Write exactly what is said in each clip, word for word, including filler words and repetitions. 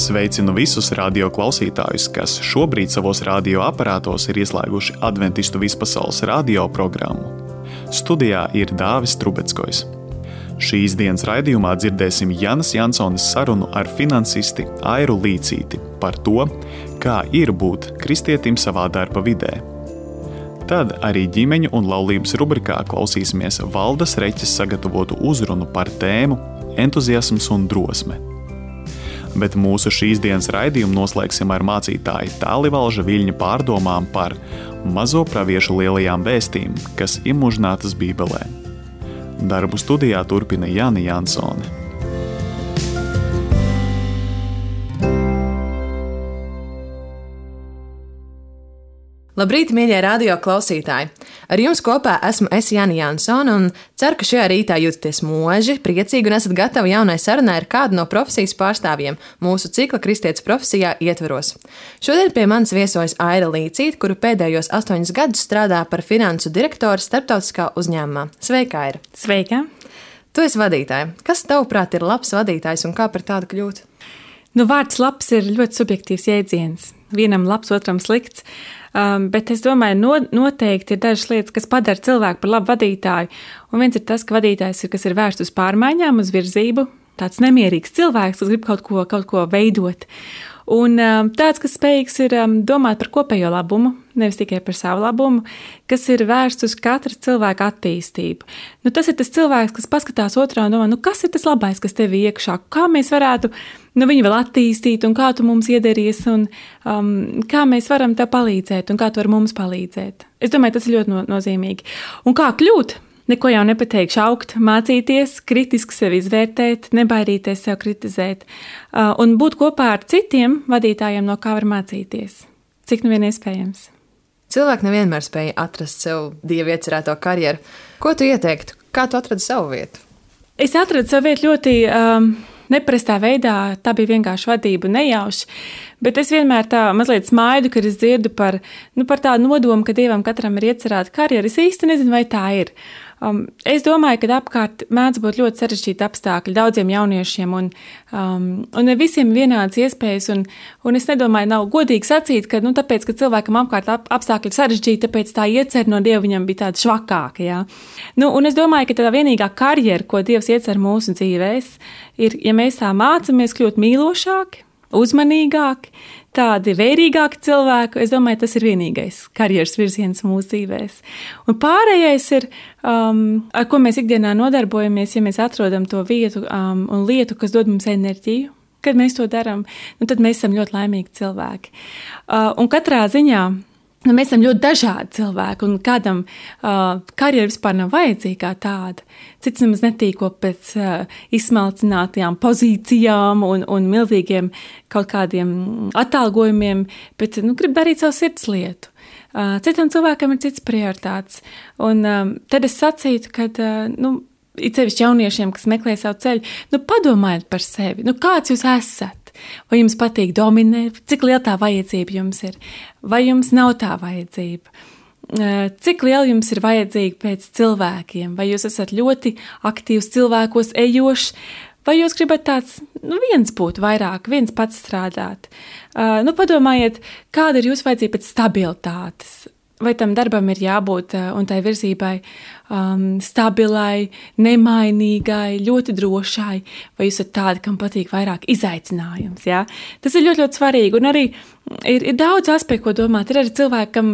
Sveicinu visus radio klausītājus, kas šobrīd savos radioaparātos ir ieslēguši Adventistu vispasaules radio programmu. Studijā ir Dāvis Trubeckojs. Šīs dienas raidījumā dzirdēsim Janas Jansones sarunu ar finansisti Airu Līcīti par to, kā ir būt kristietim savā darba vidē. Tad arī ģimeņu un laulības rubrikā klausīsimies Valdas Reķes sagatavotu uzrunu par tēmu entuziasms un drosme. Bet mūsu šīs dienas raidījumu noslēgsim ar mācītāju Tālivalža Viļņa pārdomām par mazo praviešu lielajām vēstīm, kas imužinātas Bībelē. Darbu studijā turpina Jana Jansone. Labrīt, mīļie radio klausītāji! Ar jums kopā esmu es Jana Jansone un ceru, ka šajā rītā jūtaties moži, priecīgi un esat gatavi jaunai sarunai ar kādu no profesijas pārstāvjiem mūsu cikla Kristietis profesijā ietveros. Šodien pie manis viesojas Aira Līcīte, kuru pēdējos astoņus gadus strādā par finansu direktoru starptautiskā uzņēmumā. Sveika, Aira! Sveika! Tu esi vadītāja. Kas tavuprāt ir labs vadītājs un kā par tādu kļūt? Nu, vārds labs ir ļoti subjektīvs jēdziens. Vienam labs, otram slikts. Um, bet es domāju, no, noteikti ir dažas lietas, kas padara cilvēku par labu vadītāju. Un viens ir tas, ka vadītājs ir, kas ir vērsts uz pārmaiņām, uz virzību. Tāds nemierīgs cilvēks, kas grib kaut ko, kaut ko veidot. Un um, tāds, kas spējīgs ir um, domāt par kopējo labumu, nevis tikai par savu labumu, kas ir vērsts uz katra cilvēka attīstību. Nu, tas ir tas cilvēks, kas paskatās otrā un domā, nu, kas ir tas labais, kas tev ir iekšā, kā mēs varētu nu, viņu vēl attīstīt un kā tu mums iederīsi un um, kā mēs varam tev palīdzēt un kā tu vari mums palīdzēt. Es domāju, tas ir ļoti no, nozīmīgi. Un kā kļūt? Neko jau nepateikšu, augt, mācīties, kritiski sevi izvērtēt, nebaidīties sev kritizēt uh, un būt kopā ar citiem vadītājiem, no kā var mācīties. Cik nu vien iespējams. Cilvēki nevienmēr spēja atrast sev Dieva iecerēto karjeru. Ko tu ieteiktu? Kā tu atradi savu vietu? Es atradu savu vietu ļoti um, neparastā veidā. Tā bija vienkārši vadība nejauši. Bet es vienmēr tā mazliet smaidu, kad es dzirdu par, nu, par tādu nodomu, ka Dievam katram ir iecerēta karjera. Es īsti nezinu, vai tā ir. Um, es domāju, ka apkārt mēdz būt ļoti sarežģīti apstākļi daudziem jauniešiem un, um, un ne visiem vienādas iespējas. Un, un es nedomāju, nav godīgi sacīt, ka nu, tāpēc, ka cilvēkam apkārt ap, apstākļi sarežģīti, tāpēc tā iecer no Dieva viņam bija tāda švakāka. Jā. Nu, un es domāju, ka tā vienīgā karjera, ko Dievs iecer mūsu dzīvēs, ir, ja mēs tā mācamies kļūt mīlošāki, uzmanīgāki, tādi vērīgāki cilvēki. Es domāju, tas ir vienīgais karjeras virziens mūsu dzīvēs. Un pārējais ir, um, ar ko mēs ikdienā nodarbojamies, ja mēs atrodam to vietu um, un lietu, kas dod mums enerģiju. Kad mēs to darām, nu, tad mēs esam ļoti laimīgi cilvēki. Uh, un katrā ziņā nu, mēs esam ļoti dažādi cilvēki, un kādam uh, karjera vispār nav vajadzīga tāda. Cits nemaz netīko pēc uh, izsmalcinātajām pozīcijām un, un milzīgiem kaut kādiem atalgojumiem, bet nu, grib darīt savu sirds lietu. Uh, citam cilvēkam ir cits prioritāts. Un um, tad es sacītu, ka uh, nu, it sevišķi jauniešiem, kas meklē savu ceļu, nu, padomājiet par sevi. Nu, kāds jūs esat? Vai jums patīk dominēt? Cik liela tā vajadzība jums ir? Vai jums nav tā vajadzība? Cik liela jums ir vajadzīga pēc cilvēkiem? Vai jūs esat ļoti aktīvs cilvēkos ejošs? Vai jūs gribat tāds, nu, viens būt vairāk, viens pats strādāt? Uh, nu, padomājiet, kāda ir jūsu vajadzība pēc stabilitātes? Vai tam darbam ir jābūt un tai virzībai um, stabilai, nemainīgai, ļoti drošai, vai jūs esat tādi, kam patīk vairāk izaicinājums, jā? Tas ir ļoti, ļoti svarīgi, un arī ir, ir daudz aspektu, ko domāt. Ir arī cilvēki, kam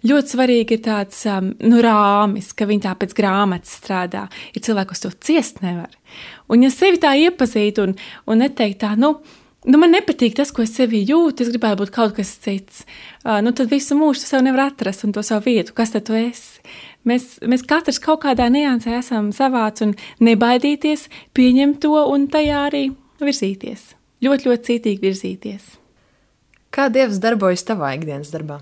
ļoti svarīgi ir tāds um, nu, rāmis, ka viņi tā pēc grāmatas strādā. Ir cilvēki, kas to ciest nevar. Un ja sevi tā iepazīt un, un neteikt tā, nu, Nu, man nepatīk tas, ko es sevī jūtu, es gribētu būt kaut kas cits. Uh, nu, tad visu mūžu tu sev nevar atrast un to savu vietu. Kas tad tu esi? Mēs, mēs katrs kaut kādā niansē esam savāds un nebaidīties, pieņemt to un tajā arī virzīties. Ļoti, ļoti cītīgi virzīties. Kā Dievs darbojas tavā ikdienas darbā?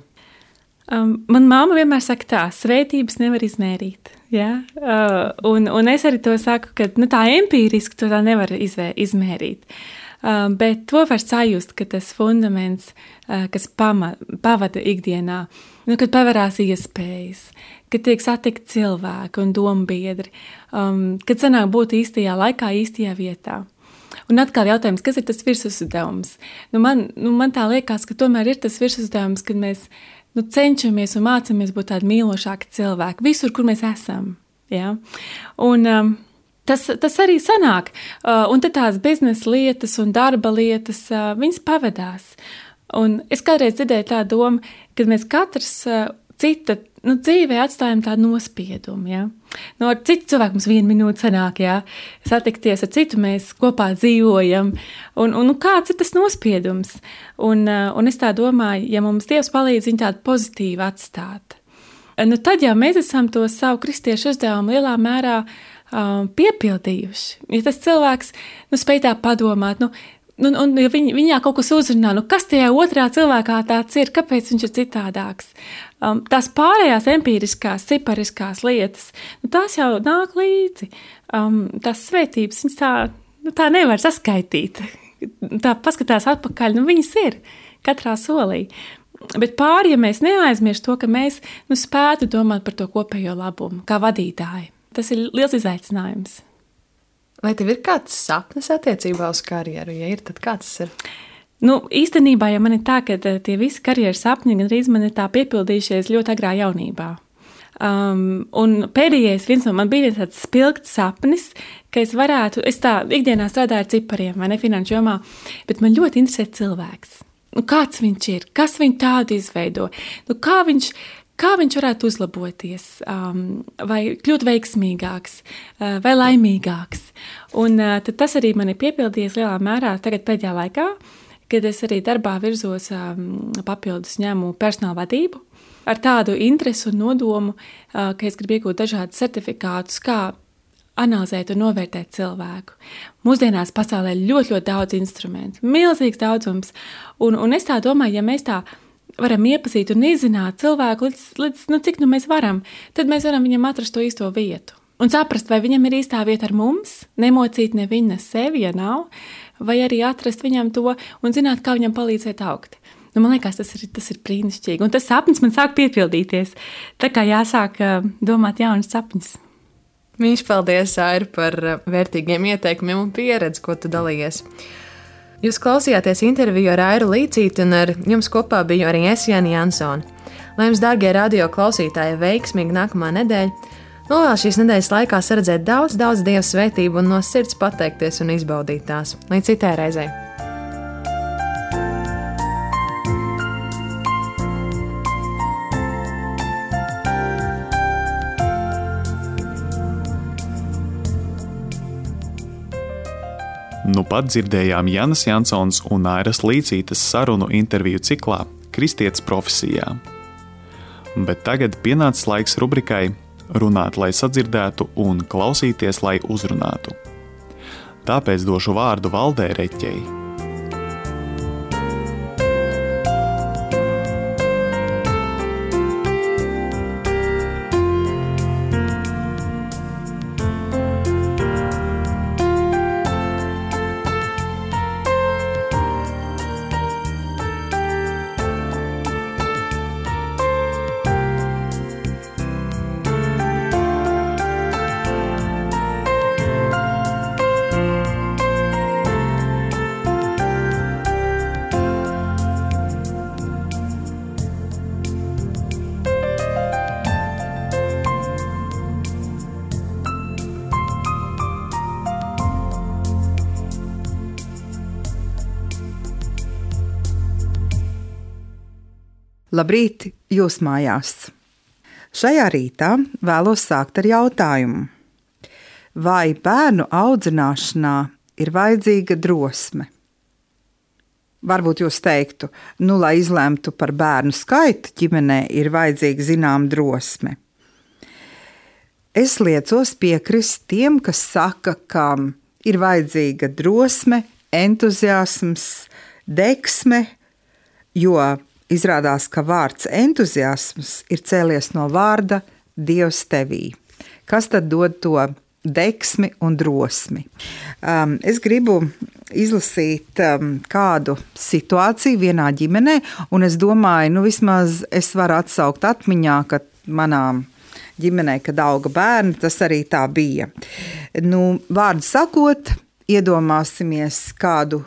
Um, man māma vienmēr saka tā, svētības nevar izmērīt. Ja? Uh, un, un es arī to saku, ka nu, tā empīriski to tā nevar izvē, izmērīt. Uh, bet to var sajust, ka tas fundaments, uh, kas pama, pavada ikdienā, nu, kad pavarās iespējas, kad tiek satikt cilvēki un dombiedri, um, kad sanāk būt īstajā laikā, īstajā vietā. Un atkal jautājums, kas ir tas virsuzdevums? Nu, man, nu, man tā liekas, ka tomēr ir tas virsuzdevums, kad mēs nu, cenšamies un mācamies būt tādi mīlošāki cilvēki visur, kur mēs esam. Ja? Un um, tas, tas arī sanāk. Uh, un tad tās biznesa lietas un darba lietas, uh, viņas pavadās. Un es kādreiz dzirdēju tādu domu, ka mēs katrs uh, cita nu, dzīvē atstājam tādu nospiedumu. Ja? Nu, ar citu cilvēku mums vienu minūti sanāk, ja? Satikties ar citu, mēs kopā dzīvojam. Un, un nu, kāds ir tas nospiedums? Un, uh, un es tā domāju, ja mums Dievs palīdz viņu tādu pozitīvu atstāt, nu, tad jau mēs esam to savu kristiešu uzdevumu lielā mērā um, piepildījuši. Ja tas cilvēks nu, spēj tā padomāt, nu, nu, un ja viņ, viņā kaut kas uzrunā, nu, kas tajā otrā cilvēkā tāds ir, kāpēc viņš ir citādāks. Um, tās pārējās empīriskās, cipariskās lietas, nu, tās jau nāk līdzi. Um, tās svētības, viņas tā, nu, tā nevar saskaitīt. Tā paskatās atpakaļ, nu, viņas ir katrā solī. Bet pāri, ja mēs neaizmirst to, ka mēs nu, spētu domāt par to kopējo labumu, kā vadītāji. Tas ir liels izaicinājums. Vai tev ir kāds sapnis attiecībā uz karjeru? Ja ir, tad kāds tas ir? Nu, īstenībā, ja man ir tā, ka tie visi karjeras sapņi gandrīz man ir tā piepildījušies ļoti agrā jaunībā. Um, un pēdējais viens no man bija viens tāds spilgts sapnis, ka es varētu, es tā ikdienā strādāju ar cipariem, vai ne finanšu jomā, bet man ļoti interesē cilvēks. Nu, kāds viņš ir, kas viņu tādu izveido, nu, kā, viņš, kā viņš varētu uzlaboties, um, vai kļūt veiksmīgāks, uh, vai laimīgāks. Un uh, tad tas arī man ir piepildījies lielā mērā tagad pēdējā laikā, kad es arī darbā virzos um, papildus ņēmu personāla vadību, ar tādu interesi un nodomu, uh, ka es gribu iegūt dažādus certifikātus, kā analizēt un novērtēt cilvēku. Mūsdienās pasaulē ir ļoti, ļoti daudz instrumentu, milzīgs daudzums, un, un es tā domāju, ja mēs tā varam iepazīt un izzināt cilvēku, līdz, līdz nu, cik nu mēs varam, tad mēs varam viņam atrast to īsto vietu. Un saprast, vai viņam ir īstā vieta ar mums, nemocīt ne viņa sevi, ja nav, vai arī atrast viņam to un zināt, kā viņam palīdzēt augt. Nu, man liekas, tas ir, tas ir brīnišķīgi, un tas sapnis man sāk piepildīties. Tā kā jāsāk domāt jaunas sapņus. Mīļš, paldies, Aira, par vērtīgiem ieteikumiem un pieredzi, ko tu dalījies. Jūs klausījāties interviju ar Airu Līcīti, un ar jums kopā biju arī es, Jāni Jansone. Lai jums, dārgie radio klausītāji, veiksmīgi nākamā nedēļa, novēl šīs nedēļas laikā saredzēt daudz, daudz Dieva svētību un no sirds pateikties un izbaudīt tās. Līdz citai reizei! Nu pat dzirdējām Jānis Jansons un Airas Līcītes sarunu interviju ciklā Kristietis profesijā. Bet tagad pienācis laiks rubrikai Runāt, lai sadzirdētu un klausīties, lai uzrunātu. Tāpēc došu vārdu Valdei Reķei. Labrīt, jūs mājās! Šajā rītā vēlos sākt ar jautājumu. Vai bērnu audzināšanā ir vajadzīga drosme? Varbūt jūs teiktu, nu, lai izlemtu par bērnu skaitu ģimenē, ir vajadzīga zinām drosme. Es liecos piekrist tiem, kas saka, ka ir vajadzīga drosme, entuziasms, deksme, jo izrādās, ka vārds entuziasms ir cēlies no vārda Dievs tevī. Kas tad dod to deksmi un drosmi? Um, es gribu izlasīt um, kādu situāciju vienā ģimenē, un es domāju, nu vismaz es varu atsaukt atmiņā, ka manā ģimenē, kad auga bērni, tas arī tā bija. Nu, vārdu sakot, iedomāsimies kādu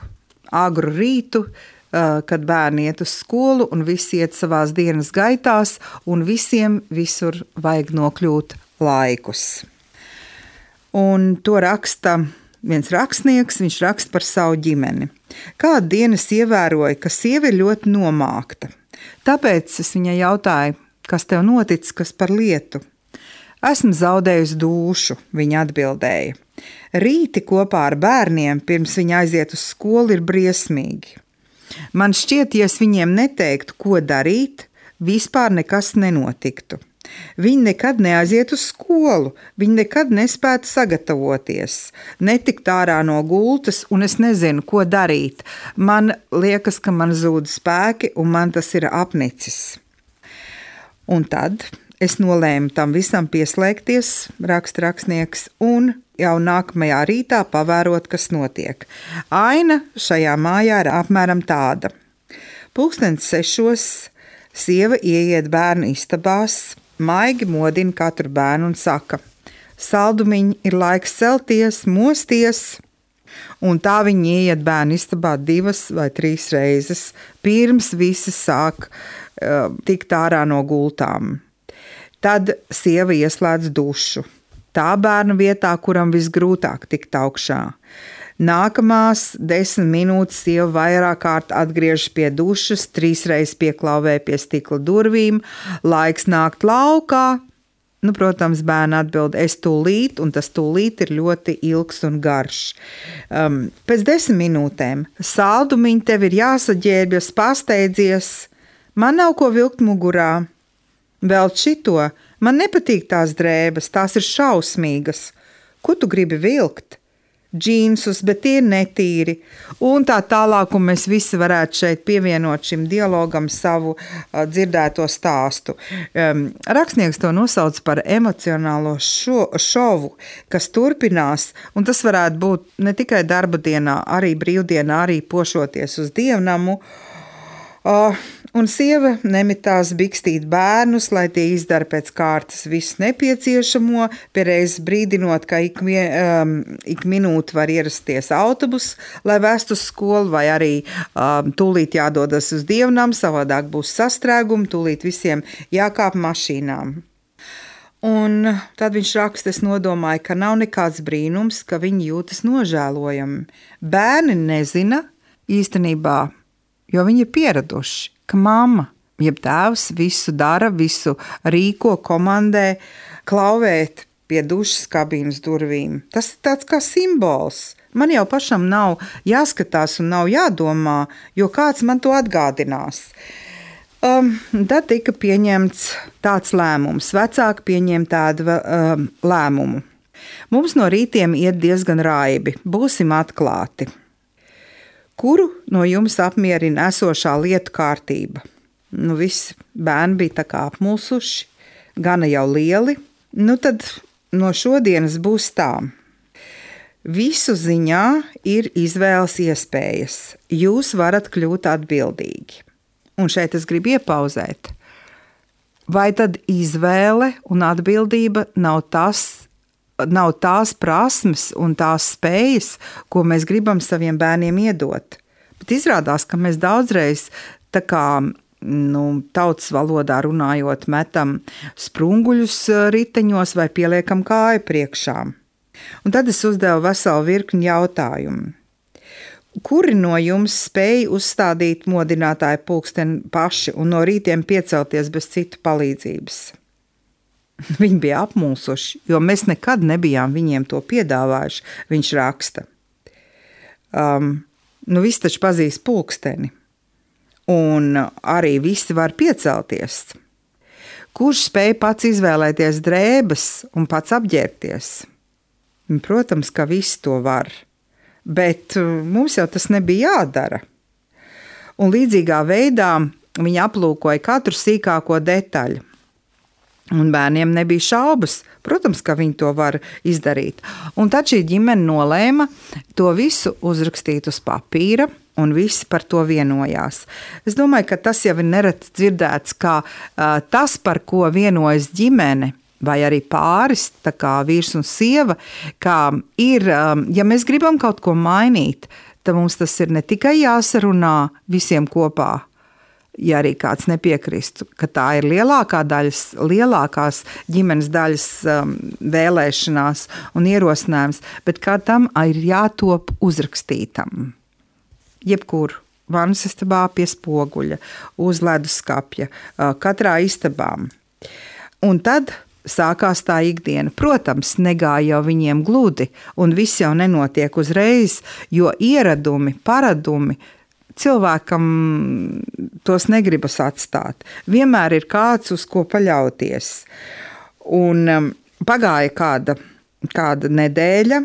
agru rītu, kad bērni iet uz skolu un visi iet savās dienas gaitās, un visiem visur vajag nokļūt laikus. Un to raksta viens rakstnieks, viņš raksta par savu ģimeni. Kādu dienu es ievēroju, ka sieva ir ļoti nomākta. Tāpēc es viņai jautāju, kas tev noticis, kas par lietu? Esmu zaudējusi dūšu, viņa atbildēja. Rīti kopā ar bērniem, pirms viņi aiziet uz skolu, ir briesmīgi. Man šķiet, ja es viņiem neteiktu, ko darīt, vispār nekas nenotiktu. Viņi nekad neaiziet uz skolu, viņi nekad nespētu sagatavoties, netikt ārā no gultas, un es nezinu, ko darīt. Man liekas, ka man zūd spēki, un man tas ir apnicis. Un tad es nolēmu tam visam pieslēgties, raksta rakstnieks, un jau nākamajā rītā pavērot, kas notiek. Aina šajā mājā ir apmēram tāda. Pulkstens sešos sieva ieiet bērnu istabās, maigi modina katru bērnu un saka: saldumiņi, ir laiks celties, mosties. Un tā viņi ieiet bērnu istabā divas vai trīs reizes, pirms visi sāk uh, tikt ārā no gultām. Tad sieva ieslēdz dušu. Tā bērna vietā, kuram visgrūtāk tikt augšā. Nākamās desmit minūtes sieva vairāk kārt atgriežas pie dušas, trīsreiz pieklauvē pie stikla durvīm, laiks nākt laukā. Nu, protams, bērni atbild, es tūlīt, un tas tūlīt ir ļoti ilgs un garš. Um, pēc desmit minūtēm saldumiņi tev ir jāsaģērbjas, pasteidzies, man nav ko vilkt mugurā. Vēl šito, man nepatīk tās drēbes, tās ir šausmīgas. Ko tu gribi vilkt? Džīnsus, bet tie ir netīri. Un tā tālāk, un mēs visi varētu šeit pievienot šim dialogam savu uh, dzirdēto stāstu. Um, rakstnieks to nosauc par emocionālo šo, šovu, kas turpinās, un tas varētu būt ne tikai darba dienā, arī brīvdienā, arī pošoties uz dievnamu. Uh, un sieva nemitās bikstīt bērnus, lai tie izdara pēc kārtas visu nepieciešamo, piereiz brīdinot, ka ik, um, ik minūti var ierasties autobus, lai vestu uz skolu, vai arī um, tūlīt jādodas uz dievnam, savādāk būs sastrēgumi, tūlīt visiem jākāp mašīnām. Un tad viņš raksta, es nodomāju, ka nav nekāds brīnums, ka viņi jūtas nožēlojami. Bērni nezina īstenībā, jo viņi ir pieraduši, ka mamma, jeb tēvs visu dara, visu rīko, komandē, klauvēt pie dušas kabīnes durvīm. Tas ir tāds kā simbols. Man jau pašam nav jāskatās un nav jādomā, jo kāds man to atgādinās. Um, tad tika pieņemts tāds lēmums. Vecāki pieņem tādu um, lēmumu. Mums no rītiem iet diezgan raibi, būsim atklāti. Kuru no jums apmierina esošā lietu kārtība? Nu, visi bērni bija tā kā apmulsuši, gana jau lieli. Nu, tad no šodienas būs tā. Visu ziņā ir izvēles iespējas. Jūs varat kļūt atbildīgi. Un šeit es gribu iepauzēt. Vai tad izvēle un atbildība nav tas, nav tās prasmes un tās spējas, ko mēs gribam saviem bērniem iedot. Bet izrādās, ka mēs daudzreiz tā kā nu, tautas valodā runājot metam sprunguļus riteņos vai pieliekam kāju priekšā. Un tad es uzdevu veselu virkni jautājumu. Kuri no jums spēja uzstādīt modinātāju pulksteni paši un no rītiem piecelties bez citu palīdzības? Viņi bija apmulsuši, jo mēs nekad nebijām viņiem to piedāvājuši, viņš raksta. Um, nu, visi taču pazīst pulksteni, un arī visi var piecelties. Kurš spēja pats izvēlēties drēbes un pats apģērbties? Protams, ka visi to var, bet mums jau tas nebija jādara. Un līdzīgā veidā viņi aplūkoja katru sīkāko detaļu. Un bērniem nebija šaubas, protams, ka viņi to var izdarīt. Un tad šī ģimene nolēma to visu uzrakstīt uz papīra, un visi par to vienojās. Es domāju, ka tas jau ir nereti dzirdēts, kā uh, tas, par ko vienojas ģimene, vai arī pāris, tā kā vīrs un sieva, kā ir, ja mēs gribam kaut ko mainīt, tad mums tas ir ne tikai jāsarunā visiem kopā, ja arī kāds nepiekristu, ka tā ir lielākā daļas, lielākās ģimenes daļas um, vēlēšanās un ierosinājums, bet kā tam ir jātop uzrakstītam. Jebkur vannas istabā pie spoguļa, uz leduskapja, katrā istabām. Un tad sākās tā ikdiena. Protams, negāja jau viņiem gludi, un viss jau nenotiek uzreiz, jo ieradumi, paradumi cilvēkam tos negribas atstāt. Vienmēr ir kāds, uz ko paļauties. Un um, pagāja kāda, kāda nedēļa,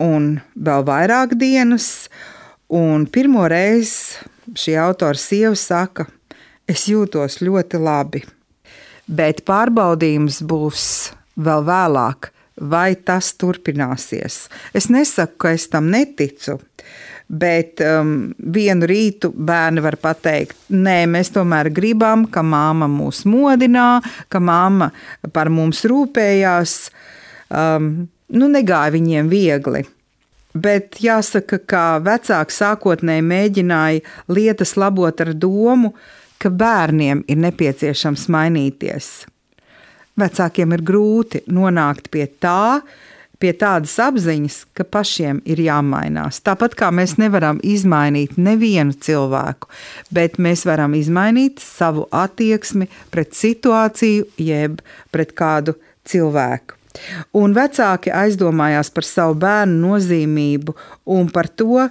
un vēl vairāk dienas, un pirmo reizi šī autora sieva saka, es jūtos ļoti labi. Bet pārbaudījums būs vēl vēlāk, vai tas turpināsies. Es nesaku, ka es tam neticu, bet um, vienu rītu bērni var pateikt, nē, mēs tomēr gribam, ka māma mūs modinā, ka māma par mums rūpējās. Um, nu, negāja viņiem viegli. Bet jāsaka, ka vecāki sākotnēji mēģināja lietas labot ar domu, ka bērniem ir nepieciešams mainīties. Vecākiem ir grūti nonākt pie tā, pie tādas apziņas, ka pašiem ir jāmainās. Tāpat kā mēs nevaram izmainīt nevienu cilvēku, bet mēs varam izmainīt savu attieksmi pret situāciju, jeb pret kādu cilvēku. Un vecāki aizdomājās par savu bērnu nozīmību un par to,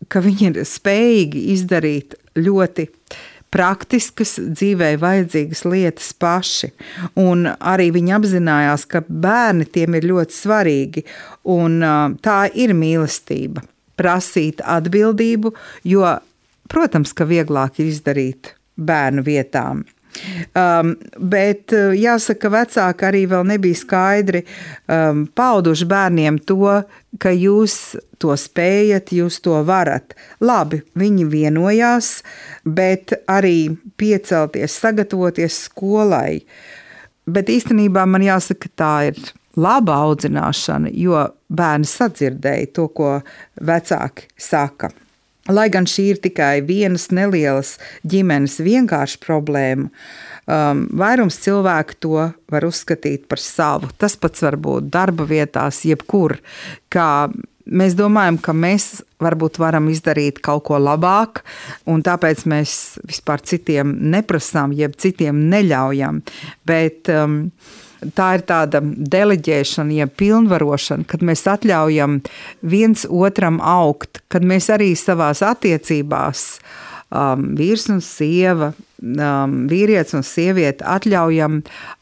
ka viņi ir spējīgi izdarīt ļoti praktiskas, dzīvē vajadzīgas lietas paši. Un arī viņi apzinājās, ka bērni tiem ir ļoti svarīgi. Un tā ir mīlestība. Prasīt atbildību, jo, protams, ka vieglāk ir izdarīt bērnu vietām. Um, bet jāsaka, vecāki arī vēl nebija skaidri um, pauduši bērniem to, ka jūs to spējat, jūs to varat. Labi, viņi vienojās, bet arī piecelties, sagatavoties skolai. Bet īstenībā man jāsaka, tā ir laba audzināšana, jo bērni sadzirdēja to, ko vecāki saka. Lai gan šī ir tikai vienas nelielas ģimenes vienkārša problēma, um, vairums cilvēku to var uzskatīt par savu. Tas pats var būt darba vietās, jebkur, kā mēs domājam, ka mēs varbūt varam izdarīt kaut ko labāk, un tāpēc mēs vispār citiem neprasām, jeb citiem neļaujam, bet um, tā ir tāda deleģēšana, ja pilnvarošana, kad mēs atļaujam viens otram augt, kad mēs arī savās attiecībās, um, vīrs un sieva, um, vīrietis un sieviete atļaujam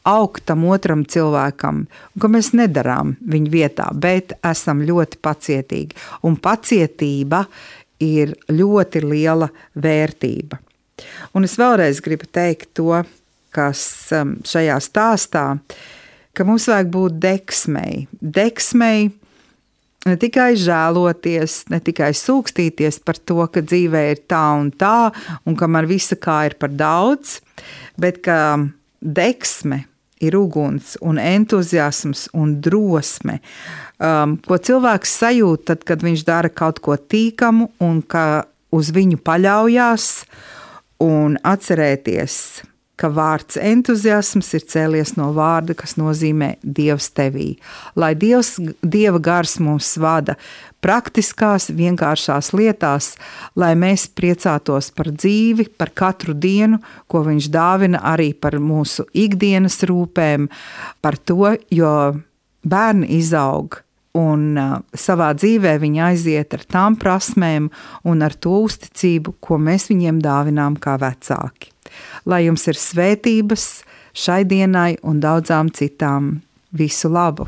augt tam otram cilvēkam, un ka mēs nedarām viņu vietā, bet esam ļoti pacietīgi. Un pacietība ir ļoti liela vērtība. Un es vēlreiz gribu teikt to, kas šajā stāstā, ka mums vajag būt deksmei. Deksmei ne tikai žēloties, ne tikai sūkstīties par to, ka dzīvē ir tā un tā, un ka man visa kā ir par daudz, bet ka deksme ir uguns un entuziasms un drosme, um, ko cilvēks sajūt tad, kad viņš dara kaut ko tīkamu un ka uz viņu paļaujās, un atcerēties, ka vārds entuziasms ir cēlies no vārda, kas nozīmē Dievs tevī. Lai Dievs, Dieva gars mums vada praktiskās, vienkāršās lietās, lai mēs priecātos par dzīvi, par katru dienu, ko viņš dāvina arī par mūsu ikdienas rūpēm, par to, jo bērni izaug un uh, savā dzīvē viņi aiziet ar tām prasmēm un ar to uzticību, ko mēs viņiem dāvinām kā vecāki. Lai jums ir svētības šai dienai un daudzām citām. Visu labu!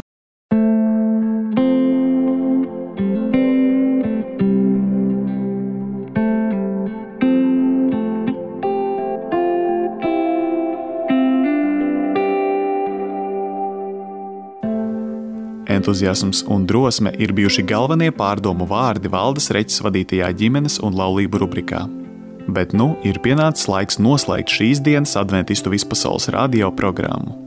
Entuziasms un drosme ir bijuši galvenie pārdomu vārdi Valdes Reķes vadītajā ģimenes un laulību rubrikā. Bet nu ir pienācis laiks noslēgt šīs dienas adventistu vispasaules radio programmu.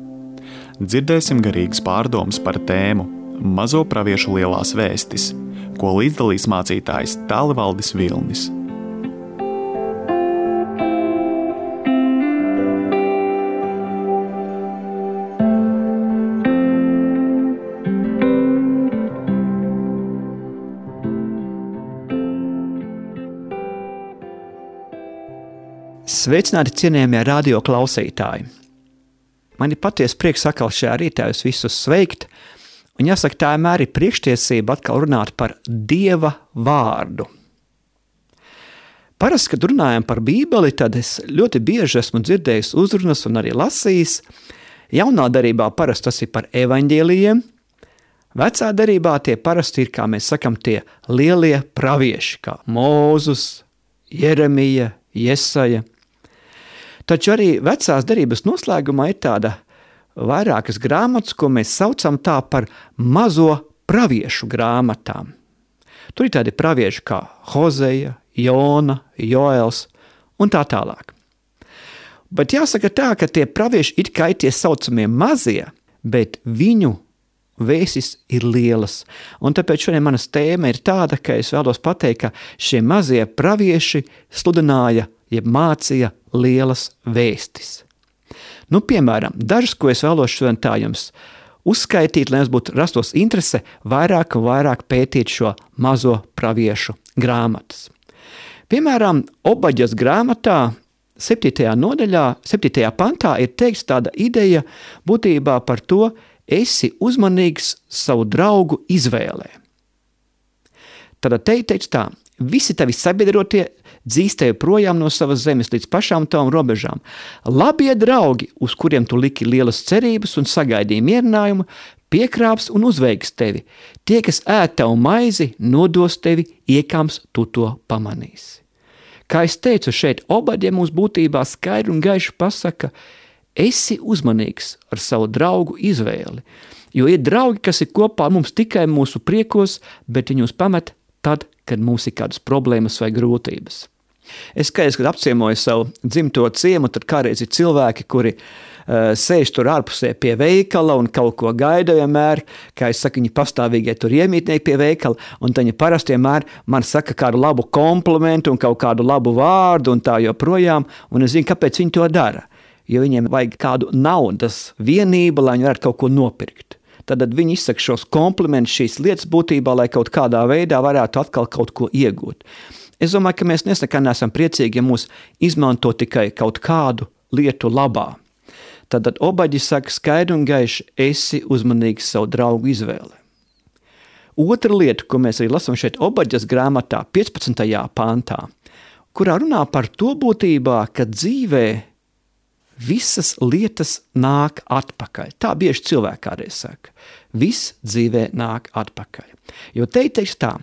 Dzirdēsim garīgas pārdomas par tēmu Mazo praviešu lielās vēstis, ko līdzdalīs mācītājs Tālivaldis Vilnis. Sveicināti cienījamie radio klausītāji! Man ir patiesi prieks atkal šajā rītā jūs visus sveikt, un jāsaka, tā vienmēr ir priekštiesība atkal runāt par Dieva vārdu. Parasti, kad runājam par Bībeli, tad es ļoti bieži esmu dzirdējis uzrunas un arī lasījis. Jaunā darībā parasti tas ir par evaņģēlijiem, vecā darībā tie parasti ir, kā mēs sakam, tie lielie pravieši, kā Mūzus, Jeremija, Jesaja. Taču arī vecās derības noslēgumā ir tāda vairākas grāmatas, ko mēs saucam tā par mazo praviešu grāmatām. Tur ir tādi pravieši kā Hozeja, Jona, Joels un tā tālāk. Bet jāsaka tā, ka tie pravieši it kā ir tie saucamie mazie, bet viņu vēstis ir lielas. Un tāpēc šodien manas tēma ir tāda, ka es vēlos pateikt, ka šie mazie pravieši sludināja, jeb mācīja lielas vēstis. Nu, piemēram, dažas, ko es vēlos šodien tā jums uzskaitīt, lai jums būtu rastos interese vairāk un vairāk pētīt šo mazo praviešu grāmatas. Piemēram, Obaģas grāmatā septītajā nodaļā, septītajā pantā ir teikts tāda ideja būtībā par to, esi uzmanīgs savu draugu izvēlē. Tad te ir teikts tā, visi tavi sabiedrotie dzīst tevi projām no savas zemes līdz pašām tavām robežām. Labie draugi, uz kuriem tu liki lielas cerības un sagaidīji mierinājumu, piekrāps un uzveiks tevi. Tie, kas ēd tavu maizi, nodos tevi, iekams tu to pamanīsi. Kā es teicu, šeit Obaģa mums būtībā skaidri un gaiši pasaka, esi uzmanīgs ar savu draugu izvēli, jo ir draugi, kas ir kopā mums tikai mūsu priekos, bet viņi mūs pamet tad, kad mums ir kādas problēmas vai grūtības. Es skaidrs, kad apciemoju savu dzimto ciemu, tad kādreiz ir cilvēki, kuri uh, sēž tur ārpusē pie veikala un kaut ko gaida vienmēr, kā es saku, viņi pastāvīgie tur iemītnieki pie veikala, un tad viņi parasti vienmēr man saka kādu labu komplimentu un kaut kādu labu vārdu un tā joprojām, un es zinu, kāpēc viņi to dara, jo viņiem vajag kādu naudas vienību, lai viņi varētu kaut ko nopirkt. Tad viņi izsaka šos komplimentus, šīs lietas būtībā, lai kaut kādā veidā varētu atkal kaut ko iegūt. Es domāju, ka mēs nesakā neesam priecīgi, ja mūs izmanto tikai kaut kādu lietu labā. Tad Obaģi saka skaidri un gaiši, esi uzmanīgs savu draugu izvēli. Otra lieta, ko mēs arī lasām šeit Obaģas grāmatā, piecpadsmitajā pantā, kurā runā par to būtībā, ka dzīvē visas lietas nāk atpakaļ. Tā bieži cilvēki kādreiz saka. Viss dzīvē nāk atpakaļ. Jo te teiks tā,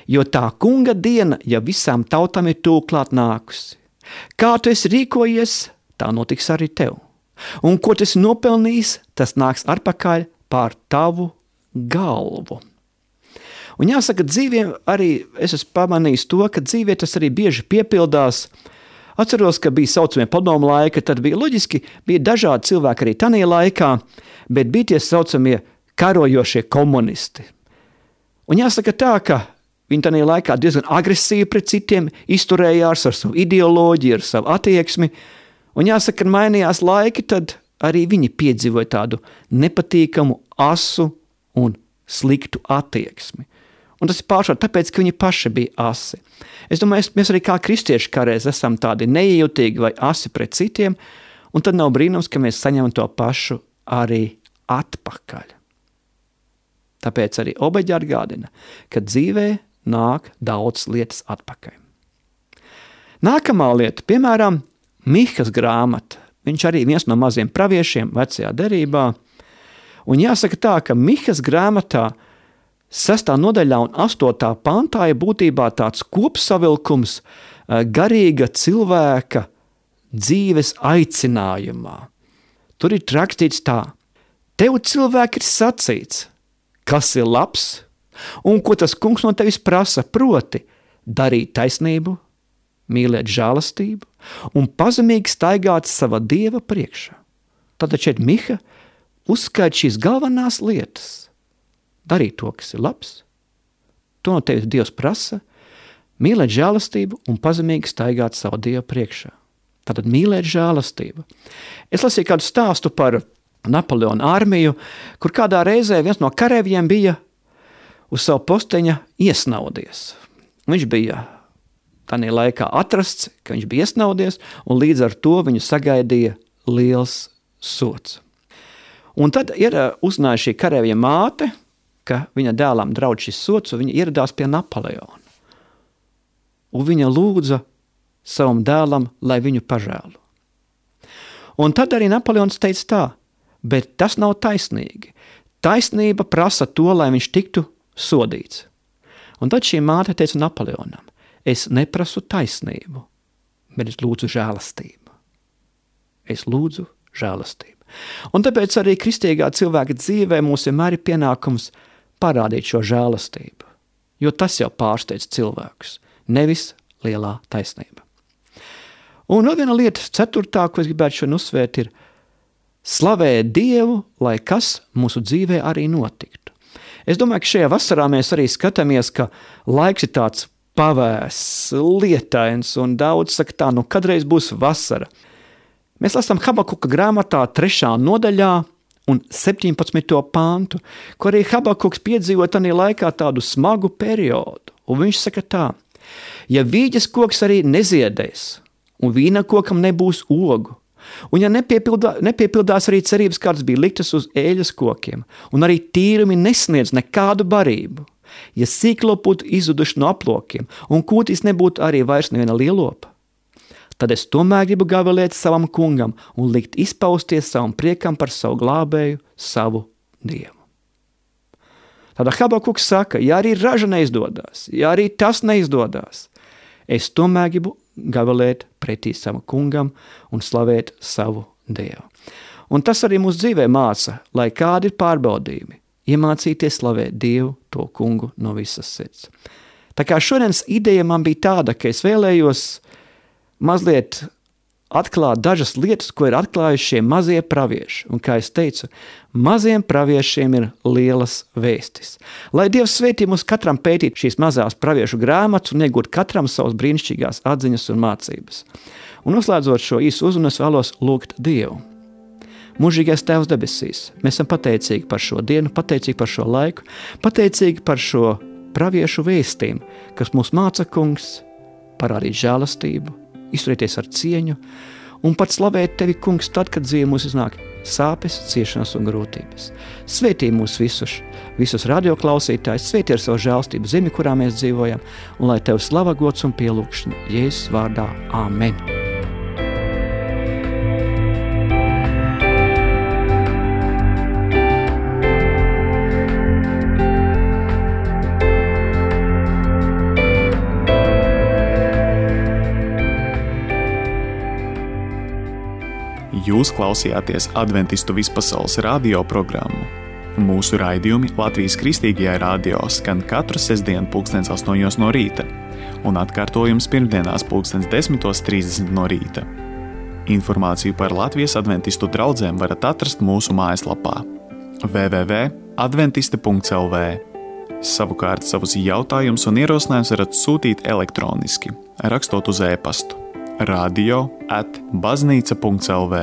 jo tā kunga diena, ja visām tautām ir tūklāt nākusi. Kā tu esi rīkojies, tā notiks arī tev. Un ko tu esi nopelnījis, tas nāks atpakaļ pār tavu galvu. Un jāsaka, dzīviem arī es esmu pamanījis to, ka dzīvē tas arī bieži piepildās. Atceros, ka bija saucamie padomu laika, tad bija loģiski, bija dažādi cilvēki arī tanī laikā, bet bija tie saucamie karojošie komunisti. Un jāsaka tā, ka viņi tanī laikā diezgan agresīvi pret citiem izturējās ar savu ideoloģiju, ar savu attieksmi, un jāsaka, kad mainījās laiki, tad arī viņi piedzīvoja tādu nepatīkamu, asu un sliktu attieksmi. Un tas ir pārsvarā tāpēc, ka viņi paši bija asi. Es domāju, mēs arī kā kristieši kādreiz esam tādi neiejūtīgi vai asi pret citiem, un tad nav brīnums, ka mēs saņemam to pašu arī atpakaļ. Tāpēc arī Obaģa atgādina, ka dzīvē nāk daudz lietas atpakaļ. Nākamā lieta, piemēram, Mihas grāmata. Viņš arī viens no maziem praviešiem vecajā derībā. Un jāsaka tā, ka Mihas grāmatā sestā nodaļā un astotā pantā ir būtībā tāds kopsavilkums garīga cilvēka dzīves aicinājumā. Tur ir rakstīts tā, tev cilvēki ir sacīts, kas ir labs, un ko tas kungs no tevis prasa, proti darīt taisnību, mīlēt žēlastību un pazemīgi staigāt sava Dieva priekšā. Tātad šeit Miha uzskait šīs galvenās lietas. Darīt to, kas ir labs. To no tevis Dievs prasa, mīlēt žēlastību un pazemīgi staigāt savu Dievu priekšā. Tātad mīlēt žēlastību. Es lasīju kādu stāstu par Napoleona armiju, kur kādā reizē viens no kareiviem bija uz savu posteņa iesnaudies. Viņš bija tādā laikā atrasts, ka viņš bija iesnaudies, un līdz ar to viņu sagaidīja liels sots. Un tad ir uzzināja šī kareivja māte, ka viņa dēlam draudz šis sots, un viņa ieradās pie Napoleona. Un viņa lūdza savam dēlam, lai viņu pažēlo. Un tad arī Napoleons teica tā, bet tas nav taisnīgi. Taisnība prasa to, lai viņš tiktu sodīts. Un tad šī māte teica Napoleonam, es neprasu taisnību, bet es lūdzu žēlastību. Es lūdzu žēlastību. Un tāpēc arī kristīgā cilvēka dzīvē mums vienmēr ir pienākums parādīt šo žēlastību, jo tas jau pārsteidz cilvēkus, nevis lielā taisnība. Un vēl viena lieta, ceturtā, ko es gribētu šodien uzsvērt, ir slavēt Dievu, lai kas mūsu dzīvē arī notiktu. Es domāju, ka šajā vasarā mēs arī skatāmies, ka laiks ir tāds pavēss, lietains, un daudz saka tā, nu kadreiz būs vasara. Mēs lasām Habakuka grāmatā trešā nodaļā un septiņpadsmito pāntu, ko arī Habakuks piedzīvo tajā laikā tādu smagu periodu. Un viņš saka tā, ja vīģes koks arī neziedēs, un vīna kokam nebūs ogu, un ja nepiepildā, nepiepildās arī cerības, kādas bija liktas uz ēļas kokiem, un arī tīrumi nesniedz nekādu barību, ja sīkloputi izuduši no aplokiem, un kūtīs nebūtu arī vairs neviena lielopa, tad es tomēr gribu gavilēt savam kungam un likt izpausties savam priekam par savu glābēju, savu Dievu. Tāda Habakuks saka, ja arī raža neizdodās, ja arī tas neizdodās, es tomēr gribu gavilēt pretī savam kungam un slavēt savu Dievu. Un tas arī mūsu dzīvē māca, lai kādi ir pārbaudījumi, iemācīties slavēt Dievu, to kungu no visas sirds. Tā kā šodienas ideja man bija tāda, ka es vēlējos mazliet atklāt dažas lietas, ko ir atklājuši šie mazie pravieši. Un kā es teicu, maziem praviešiem ir lielas vēstis. Lai Dievs svētī mums katram pētīt šīs mazās praviešu grāmatas un iegūt katram savas brīnišķīgās atziņas un mācības. Un noslēdzot šo īsu uzrunu, es vēlos lūgt Dievu. Mūžīgais Tēvs debesīs, mēs esam pateicīgi par šo dienu, pateicīgi par šo laiku, pateicīgi par šo praviešu vēstīm, kas mūs māca, kungs, parādīt žēlastību, izturēties ar cieņu un pat slavēt tevi, kungs, tad, kad dzīve mūs iznāk sāpes, ciešanas un grūtības. Svētī mūs visus, visus radioklausītājus, svētī ar savu žēlastību zemi, kurā mēs dzīvojam, un lai tev slava, gods un pielūgšana Jēzus vārdā. Āmen. Jūs klausījāties Adventistu vispasaules radio programmu. Mūsu raidījumi Latvijas Kristīgajā radio skan katru sestdienu pulkstens astoņos no rīta un atkārtojums pirmdienās pulkstens desmitos trīsdesmit no rīta. Informāciju par Latvijas adventistu draudzēm varat atrast mūsu mājaslapā w w w punkt adventiste punkts l v. Savukārt savus jautājumus un ierosinājumus varat sūtīt elektroniski, rakstot uz e-pastu radio at baznīca punkts l v.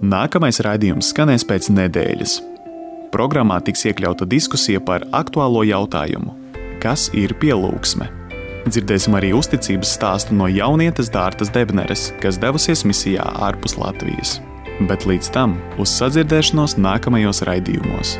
Nākamais raidījums skanēs pēc nedēļas. Programmā tiks iekļauta diskusija par aktuālo jautājumu – kas ir pielūgsme? Dzirdēsim arī uzticības stāstu no jaunietes Dārtas Debneres, kas devusies misijā ārpus Latvijas. Bet līdz tam uz sadzirdēšanos nākamajos raidījumos.